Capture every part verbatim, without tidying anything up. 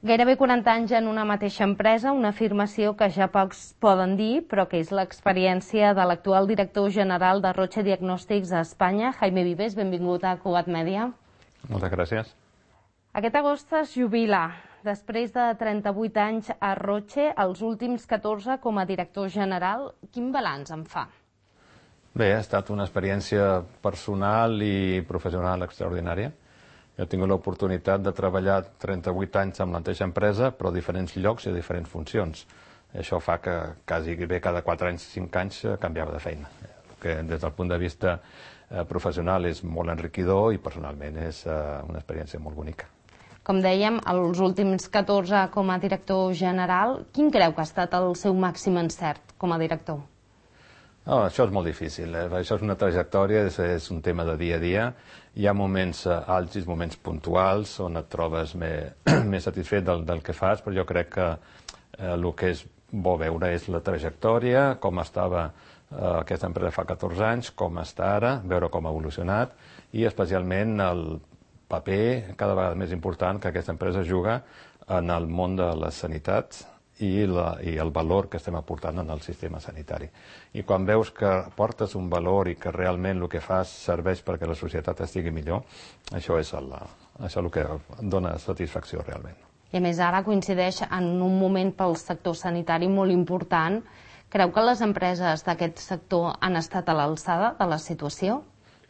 Gairebé quaranta anys en una mateixa empresa, una afirmació que ja pocs poden dir, però que és l'experiència de l'actual director general de Roche Diagnòstics a Espanya, Jaime Vives. Benvingut a Cugat Mèdia. Moltes gràcies. Aquest agost es jubila. Després de trenta-vuit anys a Roche, els últims catorze com a director general, quin balanç en fa? Bé, ha estat una experiència personal i professional extraordinària. Jo he tingut l'oportunitat de treballar trenta-vuit anys amb la mateixa empresa, però a diferents llocs i a diferents funcions. Això fa que quasi bé cada quatre anys, cinc anys, canviava de feina. Que des del punt de vista professional és molt enriquidor i personalment és una experiència molt bonica. Com dèiem, els últims catorze com a director general, quin creu que ha estat el seu màxim encert com a director? Oh, això és molt difícil. Eh? Això és una trajectòria, és, és un tema de dia a dia. Hi ha moments àlgids, moments puntuals, on et trobes més, més satisfet del, del que fas, però jo crec que eh, el que és bo veure és la trajectòria, com estava eh, aquesta empresa fa catorze anys, com està ara, veure com ha evolucionat, i especialment el paper cada vegada més important que aquesta empresa juga en el món de la sanitat, I, la, i el valor que estem aportant en el sistema sanitari. I quan veus que portes un valor i que realment el que fas serveix perquè la societat estigui millor, això és el, això el que dona satisfacció realment. I a més ara coincideix en un moment pel sector sanitari molt important. Creu que les empreses d'aquest sector han estat a l'alçada de la situació?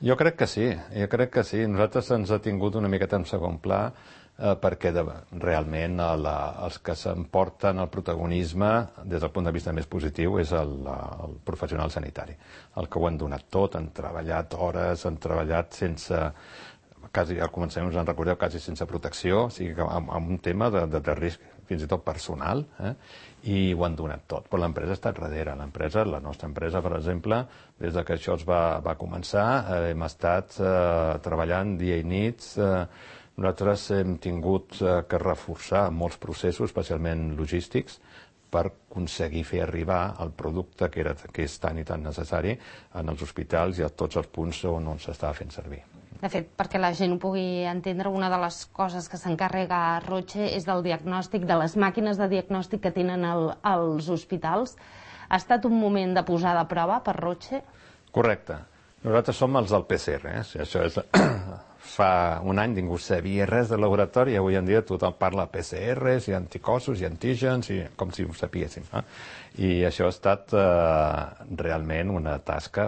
Jo crec que sí, jo crec que sí. Nosaltres ens ha tingut una miqueta en segon pla eh, perquè de, realment la, els que s'emporten el protagonisme des del punt de vista més positiu és el, el professional sanitari. El que ho han donat tot, han treballat hores, han treballat sense, quasi, al començament us en recordeu, quasi sense protecció, o sigui, amb, amb un tema de, de, de risc fins i tot personal, eh? I ho han donat tot. Però l'empresa ha estat darrere. L'empresa, la nostra empresa, per exemple, des de que això es va, va començar, eh, hem estat eh, treballant dia i nits. Eh, nosaltres hem tingut eh, que reforçar molts processos, especialment logístics, per aconseguir fer arribar el producte que, era, que és tan i tan necessari en els hospitals i a tots els punts on, on s'estava fent servir. De fet, perquè la gent ho pugui entendre, una de les coses que s'encarrega a Roche és del diagnòstic, de les màquines de diagnòstic que tenen el, els hospitals. Ha estat un moment de posada a prova per Roche? Correcte. Nosaltres som els del P C R. Eh? Això és... Fa un any ningú sabia res de laboratori i avui en dia tothom parla de P C Rs i anticossos i antígens i com si ho sapiéssim. Eh? I això ha estat eh, realment una tasca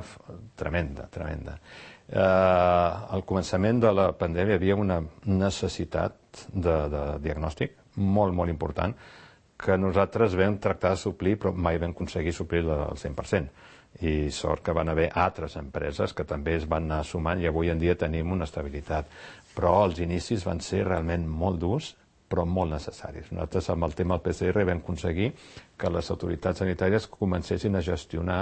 tremenda, tremenda. Eh, al començament de la pandèmia hi havia una necessitat de, de diagnòstic molt, molt important que nosaltres vam tractar de suplir però mai vam aconseguir suplir al cent per cent. I sort que van haver altres empreses que també es van anar sumant i avui en dia tenim una estabilitat. Però els inicis van ser realment molt durs, però molt necessaris. Nosaltres amb el tema del P C R vam aconseguir que les autoritats sanitàries comencessin a gestionar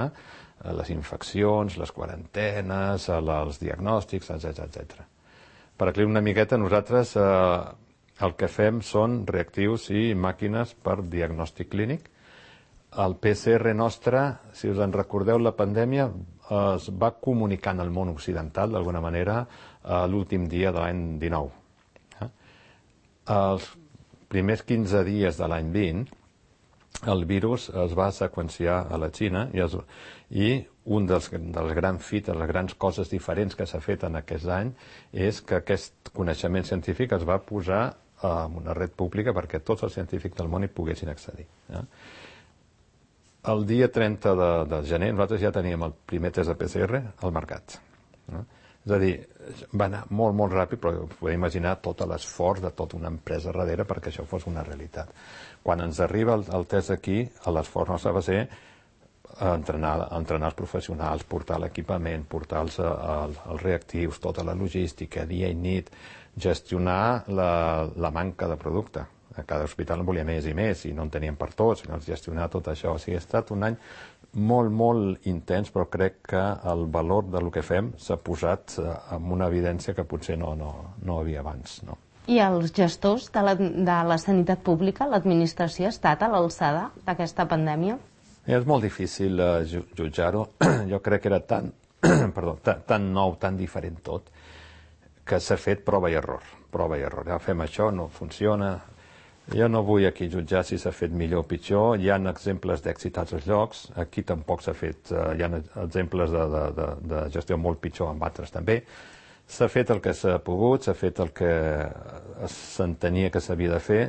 les infeccions, les quarantenes, els diagnòstics, etcètera, etcètera. Per aclarir una miqueta, nosaltres eh, el que fem són reactius i màquines per diagnòstic clínic. El P C R nostre, si us en recordeu, la pandèmia es va comunicar en el món occidental, d'alguna manera, l'últim dia de l'any dinou. Els primers quinze dies de l'any vint, el virus es va seqüenciar a la Xina i, es, i un dels, dels grans fites, les grans coses diferents que s'ha fet en aquest any és que aquest coneixement científic es va posar en una red pública perquè tots els científics del món hi poguessin accedir. Eh? El dia trenta de, de gener nosaltres ja teníem el primer test de P C R al mercat. No? És a dir, va anar molt, molt ràpid, però podeu imaginar tot l'esforç de tota una empresa darrere perquè això fos una realitat. Quan ens arriba el, el test aquí, l'esforç nostre va ser entrenar, entrenar els professionals, portar l'equipament, portar els, els, els reactius, tota la logística, dia i nit, gestionar la, la manca de producte. A cada hospital en volia més i més i no en teníem per tots, no gestionar tot això. O sigui, ha estat un any molt, molt intens, però crec que el valor del que fem s'ha posat amb una evidència que potser no, no, no havia abans. No? I els gestors de la, de la sanitat pública, l'administració, ha estat a l'alçada d'aquesta pandèmia? És molt difícil uh, jutjar-ho. Jo crec que era tan, perdó, tan, tan nou, tan diferent tot, que s'ha fet prova i error. Prova i error. Ja fem això, no funciona. Jo no vull aquí jutjar si s'ha fet millor o pitjor. Hi ha exemples d'èxit a altres llocs. Aquí tampoc s'ha fet... Uh, hi ha exemples de, de, de, de gestió molt pitjor amb altres també. S'ha fet el que s'ha pogut, s'ha fet el que s'entenia que s'havia de fer,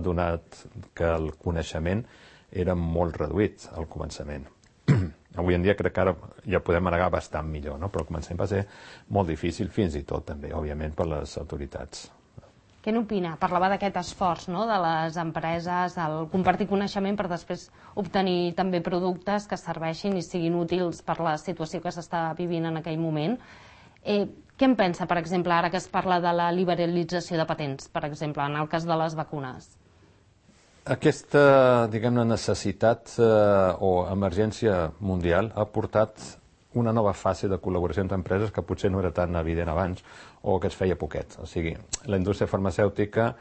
donat que el coneixement era molt reduït al començament. Avui en dia crec que ara ja podem manegar bastant millor, no? Però al començament va ser molt difícil, fins i tot també, òbviament, per les autoritats. Què n'opina? Parlava d'aquest esforç, no?, de les empreses, el compartir coneixement per després obtenir també productes que serveixin i siguin útils per la situació que s'està vivint en aquell moment. Eh, què en pensa, per exemple, ara que es parla de la liberalització de patents, per exemple, en el cas de les vacunes? Aquesta, diguem-ne, necessitat eh, o emergència mundial ha portat una nova fase de col·laboració entre empreses que potser no era tan evident abans o que es feia poquet. O sigui, la indústria farmacèutica,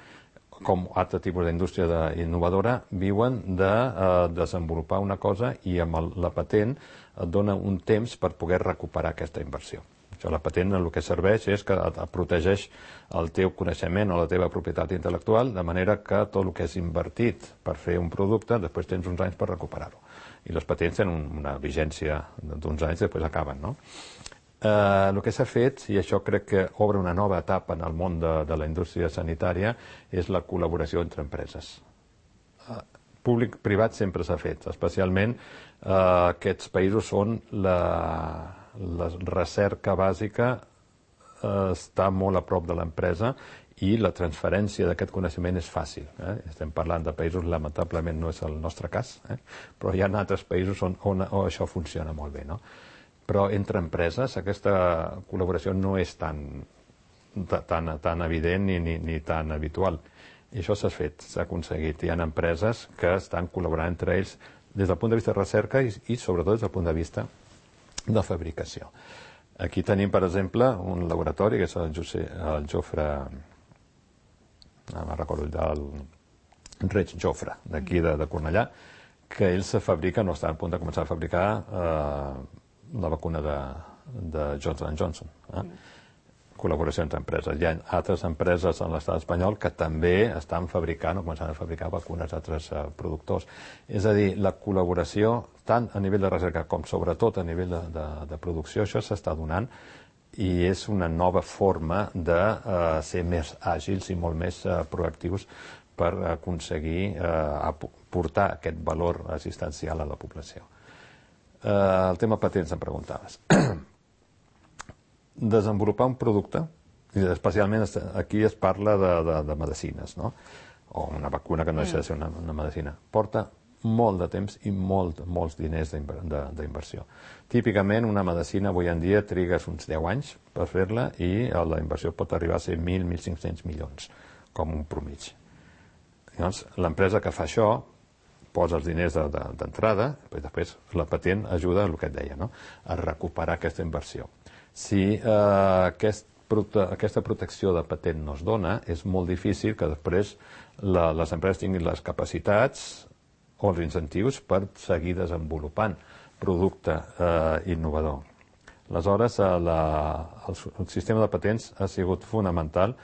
com altre tipus d'indústria innovadora, viuen de eh, desenvolupar una cosa i amb el, la patent et dona un temps per poder recuperar aquesta inversió. Això, la patent el que serveix és que et protegeix el teu coneixement o la teva propietat intel·lectual, de manera que tot el que és invertit per fer un producte, després tens uns anys per recuperar-ho. I les patents tenen una vigència d'uns anys i després acaben, no? Eh, el que s'ha fet, i això crec que obre una nova etapa en el món de, de la indústria sanitària, és la col·laboració entre empreses. Eh, Públic-privat sempre s'ha fet, especialment eh, aquests països on la, la recerca bàsica eh, està molt a prop de l'empresa i la transferència d'aquest coneixement és fàcil. Eh? Estem parlant de països, lamentablement no és el nostre cas, eh? però hi ha altres països on, on, on això funciona molt bé. No? Però entre empreses aquesta col·laboració no és tan, tan, tan evident ni, ni, ni tan habitual. I això s'ha fet, s'ha aconseguit. Hi ha empreses que estan col·laborant entre ells des del punt de vista de recerca i, i sobretot des del punt de vista de fabricació. Aquí tenim, per exemple, un laboratori que és el, José, el Jofre... no me'n recordo, el Reig Jofre, d'aquí de, de Cornellà, que ell se fabrica, no està a punt de començar a fabricar eh, la vacuna de, de Johnson and Johnson. Eh? Mm. Col·laboració entre empreses. Hi ha altres empreses en l'estat espanyol que també estan fabricant o començant a fabricar vacunes a altres eh, productors. És a dir, la col·laboració, tant a nivell de recerca com sobretot a nivell de, de, de producció, això s'està donant i és una nova forma de eh, ser més àgils i molt més eh, proactius per aconseguir eh, portar aquest valor assistencial a la població. Eh, el tema patents em preguntaves. Desenvolupar un producte, i especialment aquí es parla de, de, de medicines, no? O una vacuna que no deixa de ser una, una medicina, porta molt de temps i molt, molts diners d'inversió. Típicament, una medicina avui en dia trigues uns deu anys per fer-la i la inversió pot arribar a ser mil a mil cinc-cents milions, com un promig. Llavors, l'empresa que fa això posa els diners d'entrada, de, de, però després la patent ajuda, el que et deia, no? A recuperar aquesta inversió. Si eh, aquest, aquesta protecció de patent no es dona, és molt difícil que després la, les empreses tinguin les capacitats o els incentius per seguir desenvolupant producte eh, innovador. Aleshores, eh, la, el, el sistema de patents ha sigut fonamental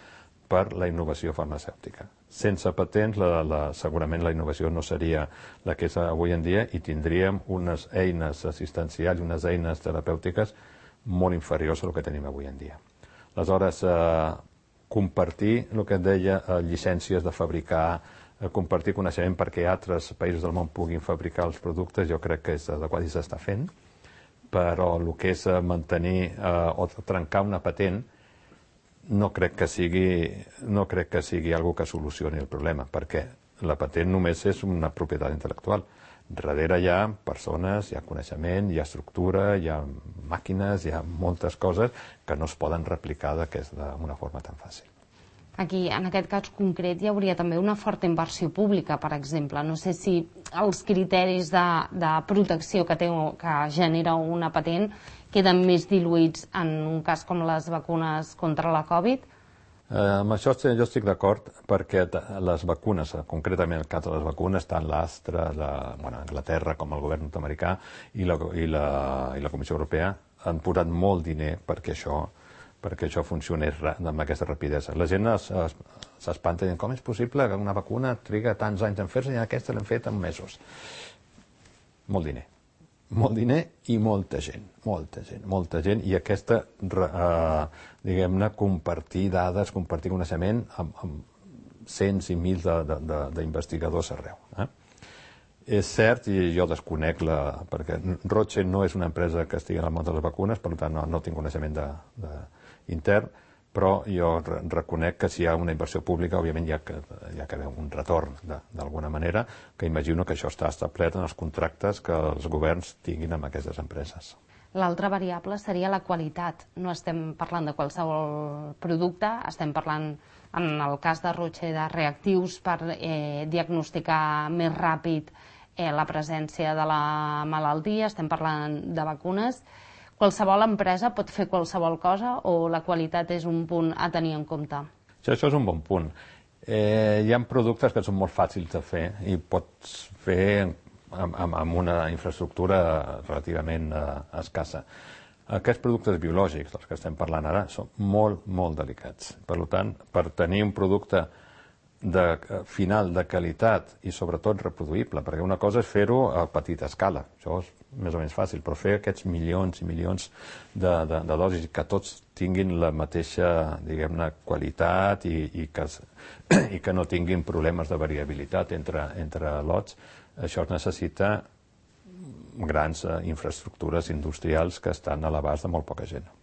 per la innovació farmacèutica. Sense patents, la, la, segurament la innovació no seria la que és avui en dia i tindríem unes eines assistencials i unes eines terapèutiques molt inferiors al que tenim avui en dia. Aleshores, eh, compartir el que et deia, eh, llicències de fabricar, compartir coneixement perquè altres països del món puguin fabricar els productes, jo crec que és adequat i s'està fent, però el que és mantenir eh, o trencar una patent no crec que sigui, no crec que sigui algo que solucioni el problema, perquè la patent només és una propietat intel·lectual. Darrere hi ha persones, hi ha coneixement, hi ha estructura, hi ha màquines, hi ha moltes coses que no es poden replicar d'una forma tan fàcil. Aquí, en aquest cas concret, hi hauria també una forta inversió pública, per exemple. No sé si els criteris de, de protecció que, té, que genera una patent queden més diluïts en un cas com les vacunes contra la Covid? Eh, amb això jo estic d'acord perquè les vacunes, concretament el cas de les vacunes, tant l'Astra, la, bueno, Anglaterra com el govern nord-americà i la, i, la, i la Comissió Europea han posat molt diner perquè això perquè això funcionés amb aquesta rapidesa. La gent s'espanta dient com és possible que una vacuna triga tants anys en fer-se i aquesta l'hem fet en mesos. Molt diner. Molt diner i molta gent, molta gent, molta gent, i aquesta, eh, diguem-ne, compartir dades, compartir coneixement amb, amb cents i mils d'investigadors arreu. Eh? És cert, i jo desconec, la, perquè Roche no és una empresa que estigui en el món de les vacunes, per tant no, no tinc coneixement de, de, intern, però jo reconec que si hi ha una inversió pública, òbviament hi ha que, hi ha que haver un retorn d'alguna manera, que imagino que això està establert en els contractes que els governs tinguin amb aquestes empreses. L'altra variable seria la qualitat. No estem parlant de qualsevol producte, estem parlant, en el cas de Roche, de reactius per eh, diagnosticar més ràpid eh, la presència de la malaltia, estem parlant de vacunes. Qualsevol empresa pot fer qualsevol cosa o la qualitat és un punt a tenir en compte? Això, això és un bon punt. Eh, hi ha productes que són molt fàcils de fer i pots fer amb, amb, amb una infraestructura relativament eh, escassa. Aquests productes biològics dels que estem parlant ara són molt, molt delicats. Per tant, per tenir un producte de, final de qualitat i sobretot reproduïble, perquè una cosa és fer-ho a petita escala, això és més o menys fàcil, però fer aquests milions i milions de, de, de dosis que tots tinguin la mateixa, diguem-ne, qualitat i, i, que, i que no tinguin problemes de variabilitat entre, entre lots, això es necessita grans eh, infraestructures industrials que estan a l'abast de molt poca gent.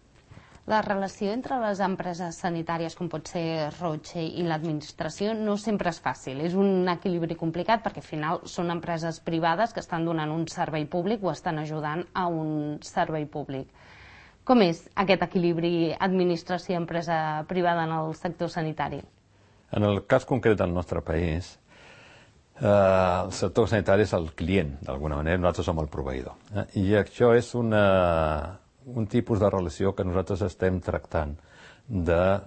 La relació entre les empreses sanitàries, com pot ser Roche, i l'administració no sempre és fàcil. És un equilibri complicat perquè al final són empreses privades que estan donant un servei públic o estan ajudant a un servei públic. Com és aquest equilibri administració-empresa privada en el sector sanitari? En el cas concret del nostre país, eh, el sector sanitari és el client, d'alguna manera, nosaltres som el proveïdor. Eh? I això és una... un tipus de relació que nosaltres estem tractant de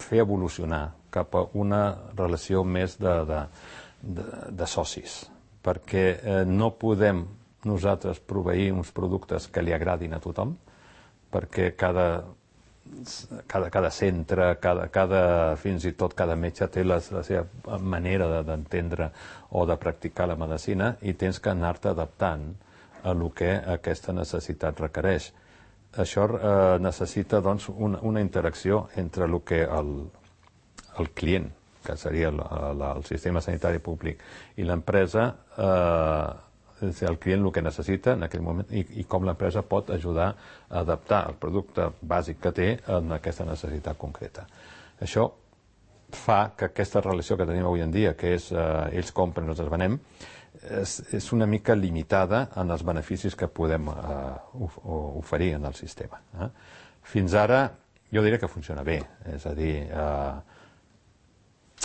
fer evolucionar cap a una relació més de, de, de, de socis, perquè eh, no podem nosaltres proveir uns productes que li agradin a tothom, perquè cada, cada, cada centre, cada, cada, fins i tot cada metge té la, la seva manera d'entendre o de practicar la medicina i tens que anar-te adaptant a el que aquesta necessitat requereix. Això eh, necessita doncs, una, una interacció entre el que el, el client, que seria el, el, el sistema sanitari públic, i l'empresa, eh, el client el que necessita en aquell moment i, i com l'empresa pot ajudar a adaptar el producte bàsic que té en aquesta necessitat concreta. Això fa que aquesta relació que tenim avui en dia, que és eh, ells compren, nosaltres venem, És, és una mica limitada en els beneficis que podem eh, oferir en el sistema. Eh? Fins ara, jo diria que funciona bé, és a dir, eh,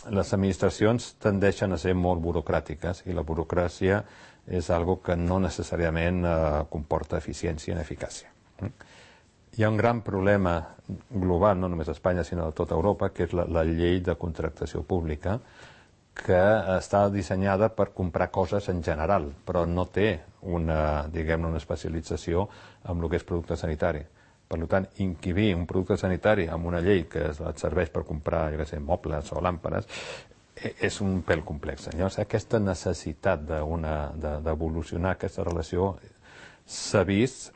les administracions tendeixen a ser molt burocràtiques i la burocràcia és algo que no necessàriament eh, comporta eficiència ni eficàcia. Eh? Hi ha un gran problema global, no només a Espanya, sinó a tota Europa, que és la, la llei de contractació pública, que està dissenyada per comprar coses en general, però no té una, diguem-ne, una especialització en el que és producte sanitari. Per tant, inquibir un producte sanitari amb una llei que et serveix per comprar, jo què sé, mobles o làmperes, és un pèl complex. Llavors, aquesta necessitat d'evolucionar aquesta relació s'ha vist,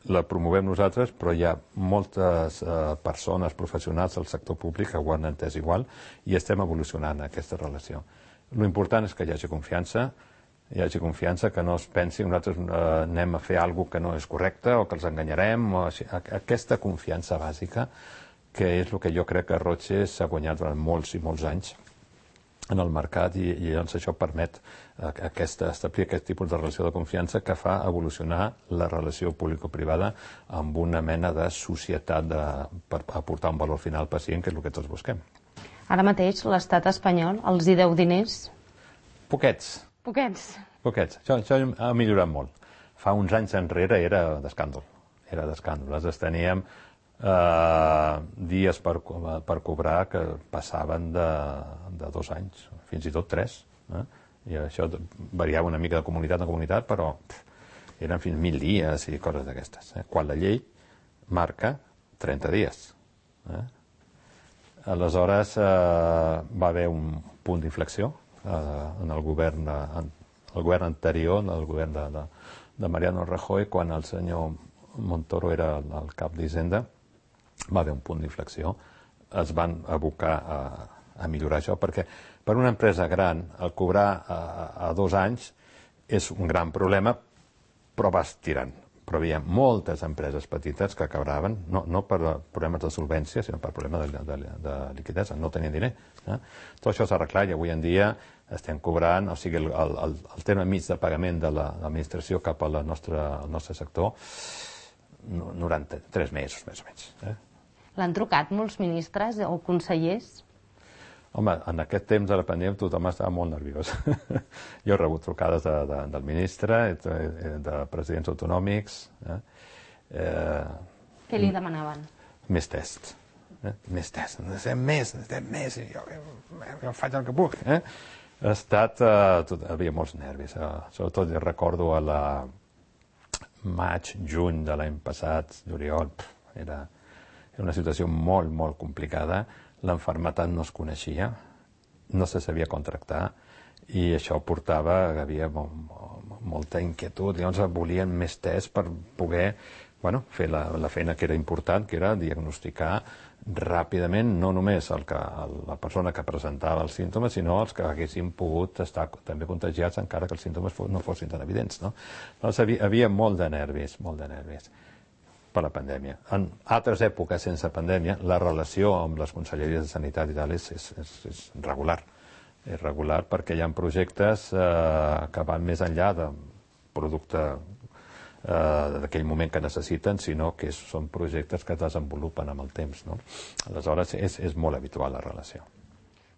la promovem nosaltres, però hi ha moltes eh, persones professionals del sector públic que ho han entès igual i estem evolucionant aquesta relació. L'important és que hi hagi confiança, hi hagi confiança, que no es pensi que nosaltres eh, anem a fer alguna que no és correcte o que els enganyarem. O així. Aquesta confiança bàsica, que és el que jo crec que Roche s'ha guanyat durant molts i molts anys en el mercat i, i llavors això permet aquesta, establir aquest tipus de relació de confiança que fa evolucionar la relació público-privada amb una mena de societat de, per aportar un valor final al pacient, que és el que tots busquem. Ara mateix l'estat espanyol els hi deu diners? Poquets. Poquets? Poquets. Això, això ha millorat molt. Fa uns anys enrere era d'escàndol. Era d'escàndol. Nosaltres teníem Uh, dies per, per cobrar que passaven de, de dos anys, fins i tot tres. Eh? I això variava una mica de comunitat a comunitat, però pff, eren fins mil dies i coses d'aquestes. Eh? Quan la llei marca trenta dies. Eh? Aleshores eh, va haver un punt d'inflexió eh, en el govern, en el govern anterior, en el govern de, de, de Mariano Rajoy, quan el senyor Montoro era el, el cap d'Hisenda, va haver un punt d'inflexió. Es van abocar a, a millorar això, perquè per una empresa gran el cobrar a, a dos anys és un gran problema, però vas tirant. Però hi havia moltes empreses petites que acabaven, no, no per problemes de solvència, sinó per problemes de, de, de liquiditat, no tenien diner. Eh? Tot això s'ha arreglat i avui en dia estem cobrant, o sigui, el, el, el terme mig de pagament de l'administració cap al nostre, al nostre sector, noranta-tres mesos, més o menys. Eh? L'han trucat molts ministres o consellers? Home, en aquest temps de la pandèmia tothom estava molt nerviós. Jo he rebut trucades de, de, del ministre, de, de presidents autonòmics. Eh? Eh, Què li demanaven? Més test. Eh? Més test. Necessitem més, necessitem més. I jo, jo faig el que puc. Eh? Ha estat... Eh, tot, hi havia molts nervis. Eh? Sobretot jo recordo a la maig, juny de l'any passat, juliol, era, era una situació molt, molt complicada. L'enfermetat no es coneixia, no se sabia contractar i això portava que hi havia molta inquietud. Llavors volien més test per poder bueno, fer la, la feina que era important, que era diagnosticar ràpidament no només el que, el, la persona que presentava els símptomes, sinó els que haguessin pogut estar també contagiats encara que els símptomes no fossin tan evidents. No? Llavors hi havia molt de nervis, molt de nervis. Per la pandèmia. En altres èpoques sense pandèmia, la relació amb les conselleries de sanitat i tal és, és, és, és regular. És regular perquè hi ha projectes eh, que van més enllà de producte eh, d'aquell moment que necessiten, sinó que són projectes que es desenvolupen amb el temps. No? Aleshores, és, és molt habitual la relació.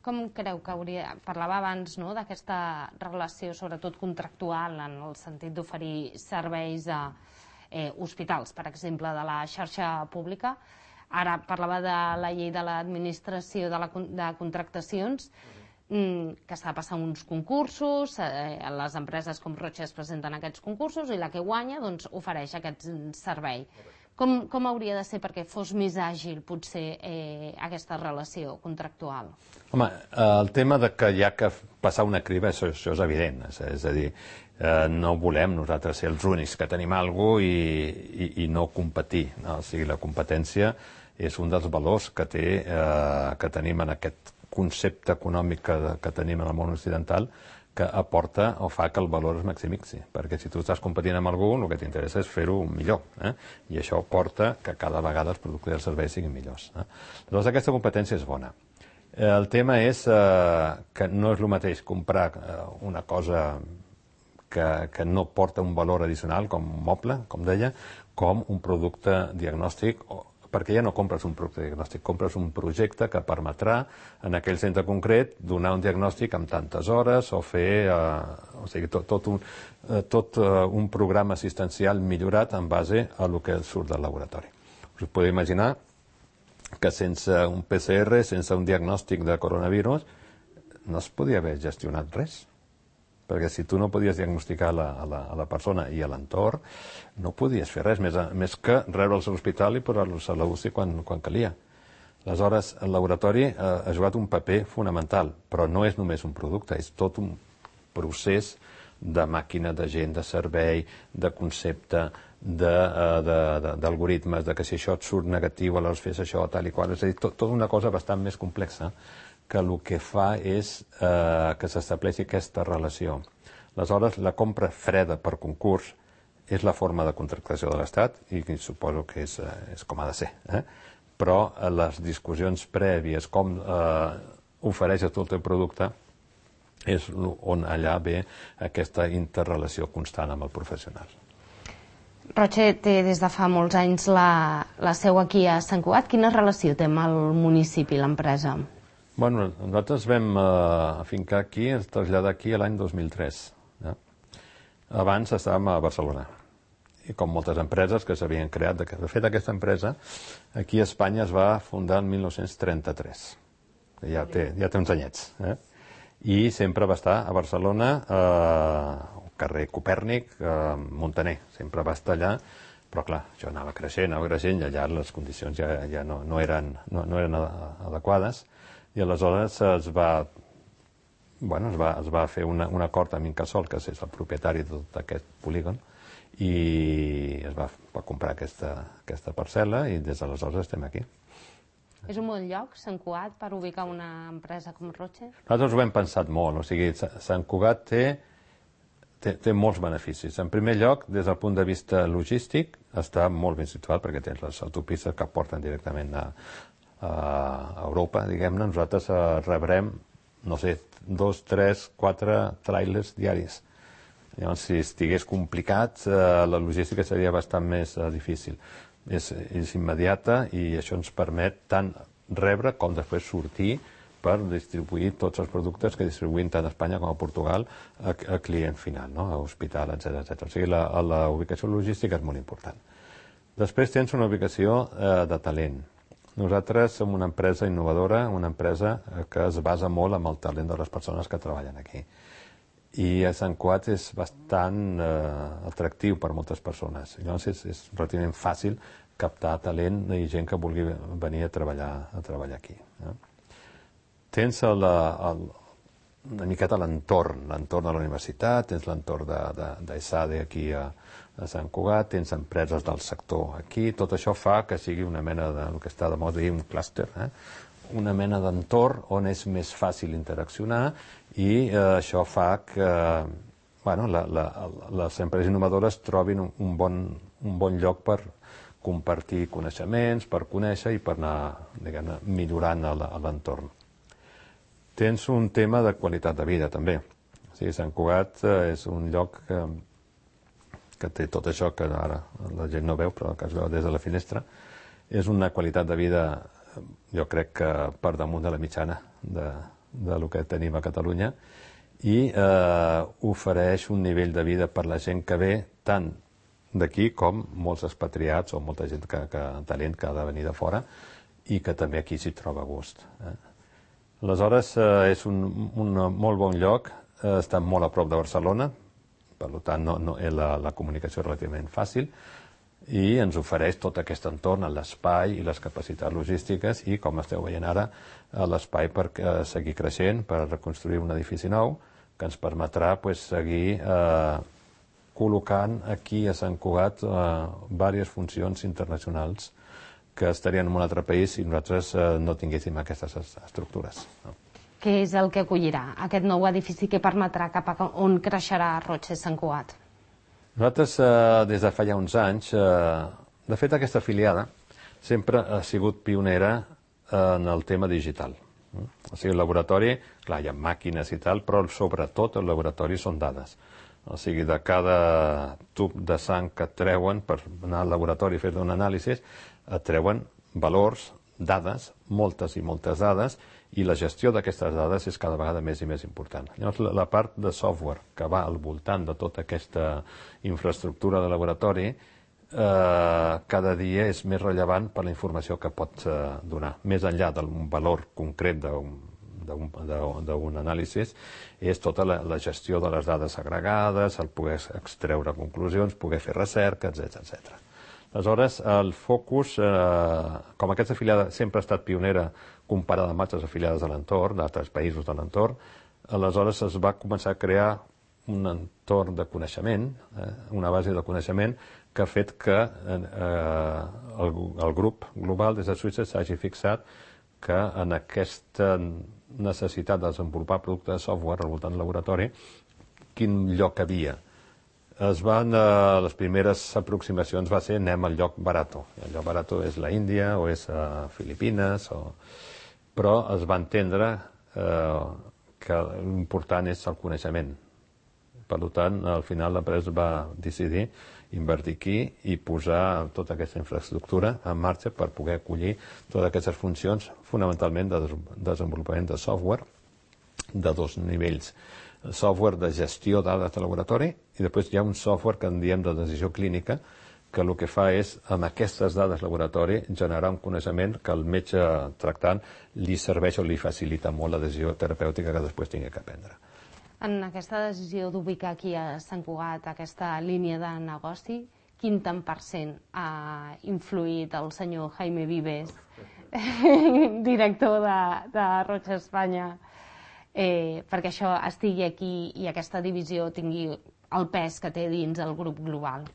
Com creu que hauria... Parlava abans no, d'aquesta relació, sobretot contractual, en el sentit d'oferir serveis a Eh, hospitals, per exemple, de la xarxa pública. Ara parlava de la llei de l'administració de, la, de contractacions, mm, que s'ha de passar uns concursos, eh, les empreses com Roche es presenten aquests concursos i la que guanya doncs, ofereix aquest servei. Com, com hauria de ser perquè fos més àgil, potser, eh, aquesta relació contractual? Home, el tema de que hi ha que passar una criba, això, això és evident. És, és a dir, eh, no volem nosaltres ser els únics que tenim alguna cosa i, i, i no competir. No? O sigui, la competència és un dels valors que, té, eh, que tenim en aquest concepte econòmic que, que tenim en el món occidental, que aporta o fa que el valor es maximitzi. Perquè si tu estàs competint amb algú, el que t'interessa és fer-ho millor. Eh? I això porta que cada vegada els productes i els serveis siguin millors. Eh? Llavors aquesta competència és bona. El tema és eh, que no és el mateix comprar eh, una cosa que, que no porta un valor addicional, com un moble, com deia, com un producte diagnòstic, perquè ja no compres un producte diagnòstic, compres un projecte que permetrà en aquell centre concret donar un diagnòstic en tantes hores o fer eh, o sigui, tot, tot, un, eh, tot eh, un programa assistencial millorat en base a el que surt del laboratori. Us podeu imaginar que sense un P C R, sense un diagnòstic de coronavirus, no es podia haver gestionat res. Perquè si tu no podies diagnosticar la, a, la, a la persona i a l'entorn, no podies fer res, més, a, més que rebre'ls a l'hospital i posar-los a l'U C I quan, quan calia. Aleshores, el laboratori eh, ha jugat un paper fonamental, però no és només un producte, és tot un procés de màquina, de gent, de servei, de concepte, d'algoritmes, de, de, de, de que si això et surt negatiu, aleshores fes això, tal i qual. És a dir, tot, tot una cosa bastant més complexa, que el que fa és eh, que s'estableixi aquesta relació. Aleshores, la compra freda per concurs és la forma de contractació de l'Estat i suposo que és, eh, és com ha de ser. Eh? Però eh, les discussions prèvies, com eh, ofereixes tot el producte, és on allà ve aquesta interrelació constant amb el professional. Roche té des de fa molts anys la, la seu aquí a Sant Cugat. Quina relació té amb el municipi, l'empresa? Bueno, nosaltres vam eh, afincar aquí, ens traslladar aquí l'any dos mil tres. Ja? Abans estàvem a Barcelona. I com moltes empreses que s'havien creat, de fet aquesta empresa aquí a Espanya es va fundar el mil nou-cents trenta-tres. Ja té, ja té uns anyets. Eh? I sempre va estar a Barcelona, eh, al carrer Copèrnic, eh, Montaner. Sempre va estar allà Però, clar, això anava creixent, anava creixent, i allà les condicions ja, ja no, no, eren, no, no eren adequades, i aleshores es va, bueno, es va, es va fer una, un acord amb Incasòl, que és el propietari de tot aquest polígon, i es va, va comprar aquesta, aquesta parcel·la, i des d'aleshores estem aquí. És un bon lloc, Sant Cugat, per ubicar una empresa com Roche? Nosaltres ho hem pensat molt, o sigui, Sant Cugat té, té, té molts beneficis. En primer lloc, des del punt de vista logístic, està molt ben situat perquè tens les autopistes que porten directament a, a Europa, diguem-ne. Nosaltres eh, rebrem, no sé, dos, tres, quatre trailers diaris. Llavors, si estigués complicat, eh, la logística seria bastant més eh, difícil. És, és immediata i això ens permet tant rebre com després sortir per distribuir tots els productes que distribuïm tant a Espanya com a Portugal a, a client final, no? A hospital, etcètera, etcètera. O sigui, la, la ubicació logística és molt important. Després tens una ubicació eh, de talent. Nosaltres som una empresa innovadora, una empresa que es basa molt en el talent de les persones que treballen aquí. I a Sant Cugat és bastant eh, atractiu per moltes persones. Llavors és, és relativament fàcil captar talent i gent que vulgui venir a treballar, a treballar aquí. Eh? Tens el, el, una miqueta l'entorn, l'entorn de la universitat, tens l'entorn d'ESADE aquí a, a Sant Cugat, tens empreses del sector aquí, tot això fa que sigui una mena de, el que està de moda dir un clúster, eh? Una mena d'entorn on és més fàcil interaccionar i eh, això fa que bueno, la, la, les empreses innovadores trobin un, un, bon, un bon lloc per compartir coneixements, per conèixer i per anar, diguem-ne, millorant l'entorn. Tens un tema de qualitat de vida, també. O sigui, Sant Cugat eh, és un lloc que, que té tot això que ara la gent no veu, però que es veu des de la finestra. És una qualitat de vida, jo crec que per damunt de la mitjana de, de lo que tenim a Catalunya, i eh, ofereix un nivell de vida per la gent que ve tant d'aquí com molts expatriats o molta gent que, que talent que ha de venir de fora i que també aquí s'hi troba a gust. Eh? Aleshores, eh, és un, un molt bon lloc, eh, està molt a prop de Barcelona, per tant no, no, la, la comunicació és relativament fàcil, i ens ofereix tot aquest entorn, l'espai i les capacitats logístiques i, com esteu veient ara, l'espai per seguir creixent, per reconstruir un edifici nou, que ens permetrà pues, seguir eh, col·locant aquí a Sant Cugat eh, diverses funcions internacionals que estarien en un altre país si nosaltres eh, no tinguéssim aquestes estructures. No? Què és el que acollirà aquest nou edifici que permetrà cap a on creixerà Roche Sant Cugat? Nosaltres, eh, des de fa ja uns anys, eh, de fet aquesta afiliada sempre ha sigut pionera en el tema digital. O sigui, el laboratori, clar, hi ha màquines i tal, però sobretot el laboratori són dades. O sigui, de cada tub de sang que et treuen per anar al laboratori i fer un anàlisi, et treuen valors, dades, moltes i moltes dades, i la gestió d'aquestes dades és cada vegada més i més important. Llavors, la, la part de software que va al voltant de tota aquesta infraestructura de laboratori eh, cada dia és més rellevant per la informació que pot eh, donar. Més enllà d'un valor concret d'un anàlisi, és tota la, la gestió de les dades agregades, el poder extreure conclusions, poder fer recerca, etcètera, etcètera. Aleshores, el focus, eh, com aquesta afiliada sempre ha estat pionera comparada amb altres afiliades de l'entorn, d'altres països de l'entorn, aleshores es va començar a crear un entorn de coneixement, eh, una base de coneixement que ha fet que eh, el, el grup global des de Suïssa s'hagi fixat que en aquesta necessitat de desenvolupar productes de software al voltant del laboratori, quin lloc havia. Es van, eh, les primeres aproximacions va ser anem al lloc barato. El lloc barato és la Índia o és a Filipines, o... però es va entendre eh, que l'important és el coneixement. Per tant, al final l'empresa va decidir invertir aquí i posar tota aquesta infraestructura en marxa per poder acollir totes aquestes funcions, fonamentalment de desenvolupament de software de dos nivells. Software de gestió de dades de laboratori i després hi ha un software que en diem de decisió clínica que el que fa és, amb aquestes dades laboratori, generar un coneixement que el metge tractant li serveix o li facilita molt la decisió terapèutica que després tingui que prendre. En aquesta decisió d'ubicar aquí a Sant Cugat aquesta línia de negoci, quin tant per cent ha influït el senyor Jaime Vives, director de, de Roig Espanya, eh, perquè això estigui aquí i aquesta divisió tingui el pes que té dins el grup global?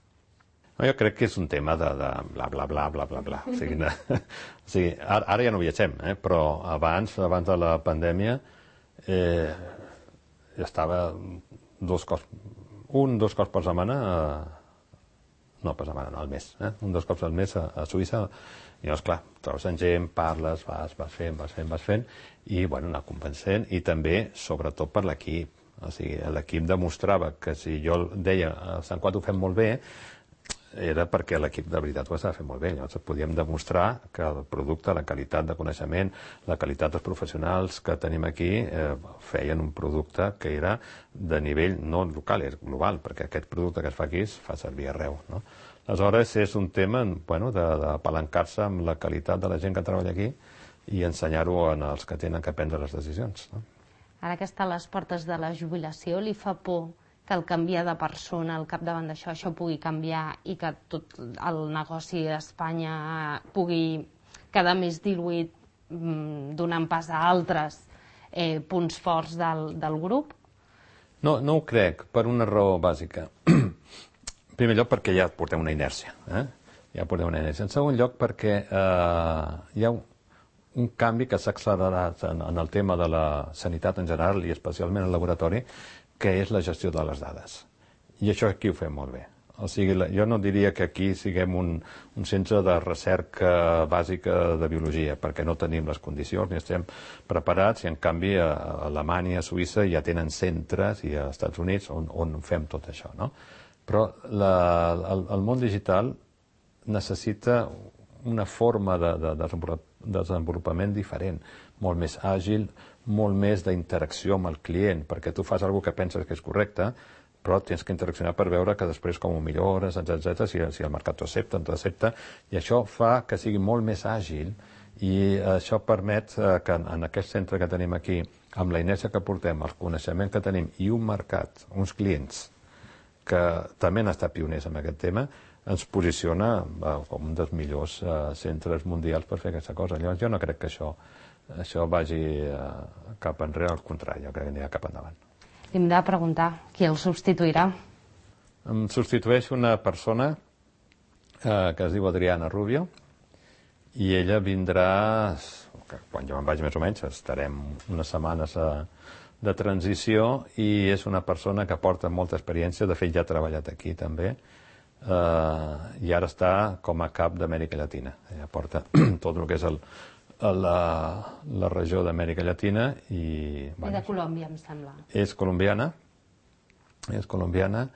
No, jo crec que és un tema de, de bla, bla, bla, bla, bla, bla. O sigui, no, o sigui ara, ara ja no viatgem, eh? Però abans, abans de la pandèmia, eh, ja estava dos cops, un, dos cops per setmana, eh, no per setmana, no, al mes, eh? un, dos cops al mes a, a Suïssa, i llavors, clar, trobes en gent, parles, vas, vas fent, vas fent, vas fent, i, bueno, anar convencent, i també, sobretot, per l'equip. O sigui, l'equip demostrava que si jo deia, a Sant Quat ho fem molt bé, era perquè l'equip de veritat ho estava fent molt bé. Llavors podíem demostrar que el producte, la qualitat de coneixement, la qualitat dels professionals que tenim aquí eh, feien un producte que era de nivell no local, és global, perquè aquest producte que es fa aquí es fa servir arreu, no? Aleshores és un tema, bueno, d'apalancar-se amb la qualitat de la gent que treballa aquí i ensenyar-ho als que tenen que prendre les decisions, no? Ara que està a les portes de la jubilació, li fa por que el canviar de persona al capdavant d'això, això pugui canviar i que tot el negoci a Espanya pugui quedar més diluït, donant pas a altres eh, punts forts del, del grup? No, no ho crec, per una raó bàsica. En primer lloc, perquè ja portem una inèrcia. Eh? Ja portem una inèrcia. En segon lloc, perquè eh, hi ha un, un canvi que s'ha accelerat en, en el tema de la sanitat en general i especialment en el laboratori, que és la gestió de les dades. I això aquí ho fem molt bé. O sigui, jo no diria que aquí siguem un, un centre de recerca bàsica de biologia, perquè no tenim les condicions ni estem preparats, i en canvi a Alemanya, a Suïssa ja tenen centres, i als Estats Units on, on fem tot això, no? Però la, el, el món digital necessita una forma de, de, de desenvolupament diferent, molt més àgil, molt més d'interacció amb el client, perquè tu fas alguna que penses que és correcte, però tens que interaccionar per veure que després com ho millores, etcètera, si, si el mercat t'ho accepta, no t'ho accepta, i això fa que sigui molt més àgil, i això permet que en aquest centre que tenim aquí, amb la inèrcia que portem, el coneixement que tenim i un mercat, uns clients que també han estat pioners en aquest tema, ens posiciona com un dels millors centres mundials per fer aquesta cosa. Llavors jo no crec que això això vagi cap enrere, al contrari, jo crec que anirà cap endavant. Li hem de preguntar qui el substituirà. Em substitueix una persona eh, que es diu Adriana Rubio, i ella vindrà, quan jo me'n vaig més o menys, estarem unes setmanes a, de transició, i és una persona que porta molta experiència, de fet ja ha treballat aquí també, eh, i ara està com a cap d'Amèrica Llatina. Ella porta tot el que és el a la, la regió d'Amèrica Llatina i... Bueno, I de Colòmbia, em sembla. És colombiana, és colombiana,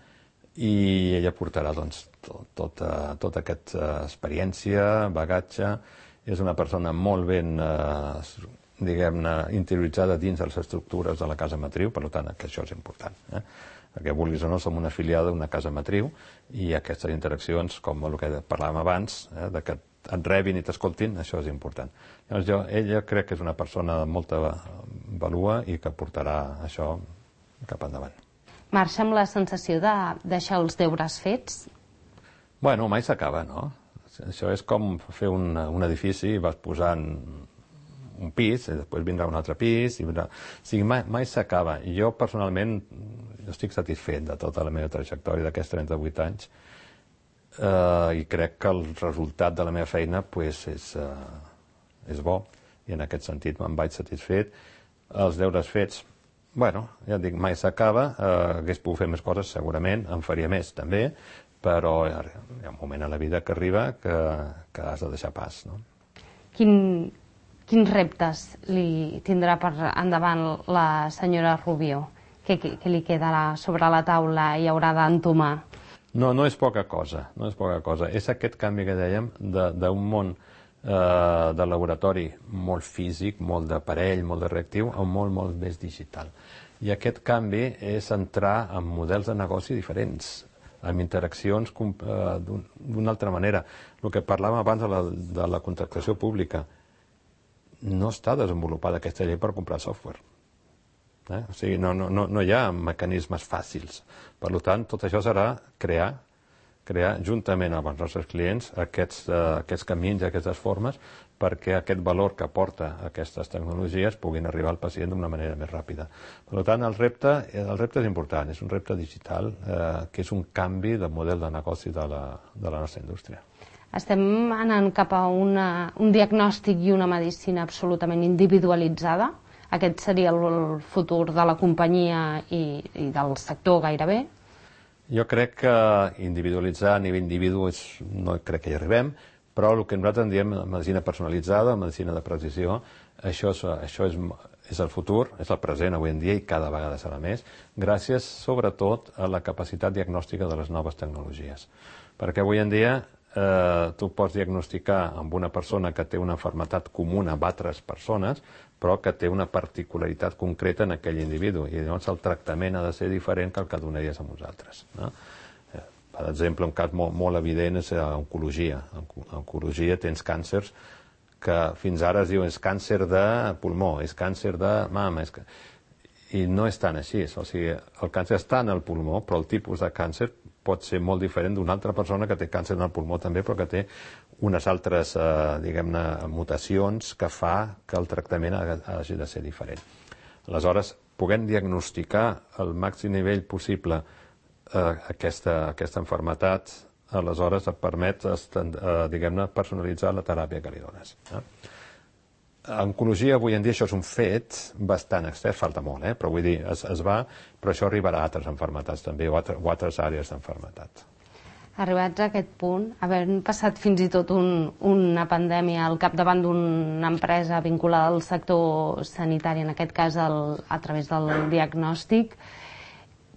i ella portarà doncs, tot, tota, tota aquesta experiència, bagatge. És una persona molt ben, eh, diguem-ne, interioritzada dins de les estructures de la casa matriu, per tant, que això és important. Eh? Perquè, vulguis o no, som una afiliada d'una casa matriu, i aquestes interaccions, com el que parlàvem abans, eh, de que et rebin i t'escoltin, això és important. Llavors jo, ella crec que és una persona de molta valua i que portarà això cap endavant. Marxa amb la sensació de deixar els deures fets? Bueno, mai s'acaba, no? Això és com fer un, un edifici i vas posant un pis, i després vindrà un altre pis, i vindrà... O sigui, mai, mai s'acaba. I jo, personalment, jo estic satisfet de tota la meva trajectòria d'aquests trenta-vuit anys, Uh, i crec que el resultat de la meva feina pues, és, uh, és bo, i en aquest sentit me'n vaig satisfet. Els deures fets, bueno, ja dic, mai s'acaba, uh, hagués pogut fer més coses, segurament, en faria més també, però hi ha, hi ha un moment a la vida que arriba que, que has de deixar pas, no? Quin, quins reptes li tindrà per endavant la senyora Rubio? Què, què li quedarà sobre la taula i haurà d'entomar? No, no és poca cosa, no és poca cosa. És aquest canvi que dèiem d'un món eh, de laboratori molt físic, molt d'aparell, molt de reactiu, a un món molt més digital. I aquest canvi és entrar en models de negoci diferents, amb interaccions eh, d'una altra manera. El que parlàvem abans de la, de la contractació pública, no està desenvolupada aquesta llei per comprar software. Eh? O sigui, no, no, no hi ha mecanismes fàcils. Per tant, tot això serà crear crear juntament amb els nostres clients aquests, uh, aquests camins, aquestes formes, perquè aquest valor que aporta aquestes tecnologies puguin arribar al pacient d'una manera més ràpida. Per tant, el repte, el repte és important, és un repte digital, eh, que és un canvi de model de negoci de la, de la nostra indústria. Estem anant cap a una, un diagnòstic i una medicina absolutament individualitzada. Aquest seria el futur de la companyia i, i del sector gairebé. Jo crec que individualitzar a nivell individu és, no crec que hi arribem, però el que nosaltres en diem medicina personalitzada, medicina de precisió, això, és, això és, és el futur, és el present avui en dia i cada vegada serà més, gràcies sobretot a la capacitat diagnòstica de les noves tecnologies. Perquè avui en dia eh, tu pots diagnosticar amb una persona que té una malaltia comuna amb altres persones, però que té una particularitat concreta en aquell individu, i llavors el tractament ha de ser diferent que el que donaries a uns altres, no? Per exemple, un cas molt, molt evident és oncologia. En oncologia tens càncers que fins ara es diu és càncer de pulmó, és càncer de mama, és... i no és tan així. O sigui, el càncer està en el pulmó, però el tipus de càncer pot ser molt diferent d'una altra persona que té càncer en el pulmó també, però que té unes altres, eh, diguem-ne, mutacions que fa que el tractament hagi de ser diferent. Aleshores, puguem diagnosticar al màxim nivell possible Aquesta, aquesta malaltia, aleshores et permet, diguem-ne, personalitzar la teràpia que li dones. En oncologia, avui en dia, això és un fet bastant extern, falta molt, eh? Però vull dir, es, es va, però això arribarà a altres malalties també, o, altre, o altres àrees d'enfermetat. Arribats a aquest punt, havent passat fins i tot un, una pandèmia al capdavant d'una empresa vinculada al sector sanitari, en aquest cas el, a través del diagnòstic,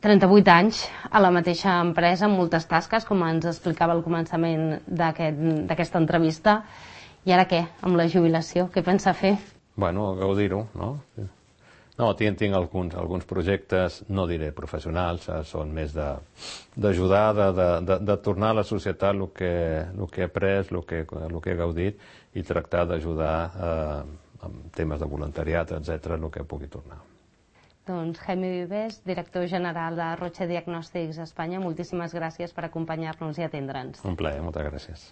trenta-vuit anys a la mateixa empresa, amb moltes tasques, com ens explicava al començament d'aquesta aquest, entrevista. I ara què, amb la jubilació? Què pensa fer? Bueno, gaudir-ho, no? No, tinc, tinc alguns, alguns projectes, no diré professionals, eh, són més d'ajudar, de, de, de, de tornar a la societat el que, el que he après, el que, el que he gaudit, i tractar d'ajudar eh, amb temes de voluntariat, etcètera, el que pugui tornar. Doncs Jaime Vives, director general de Roche Diagnòstics Espanya, moltíssimes gràcies per acompanyar-nos i atendre'ns. Un plaer, moltes gràcies.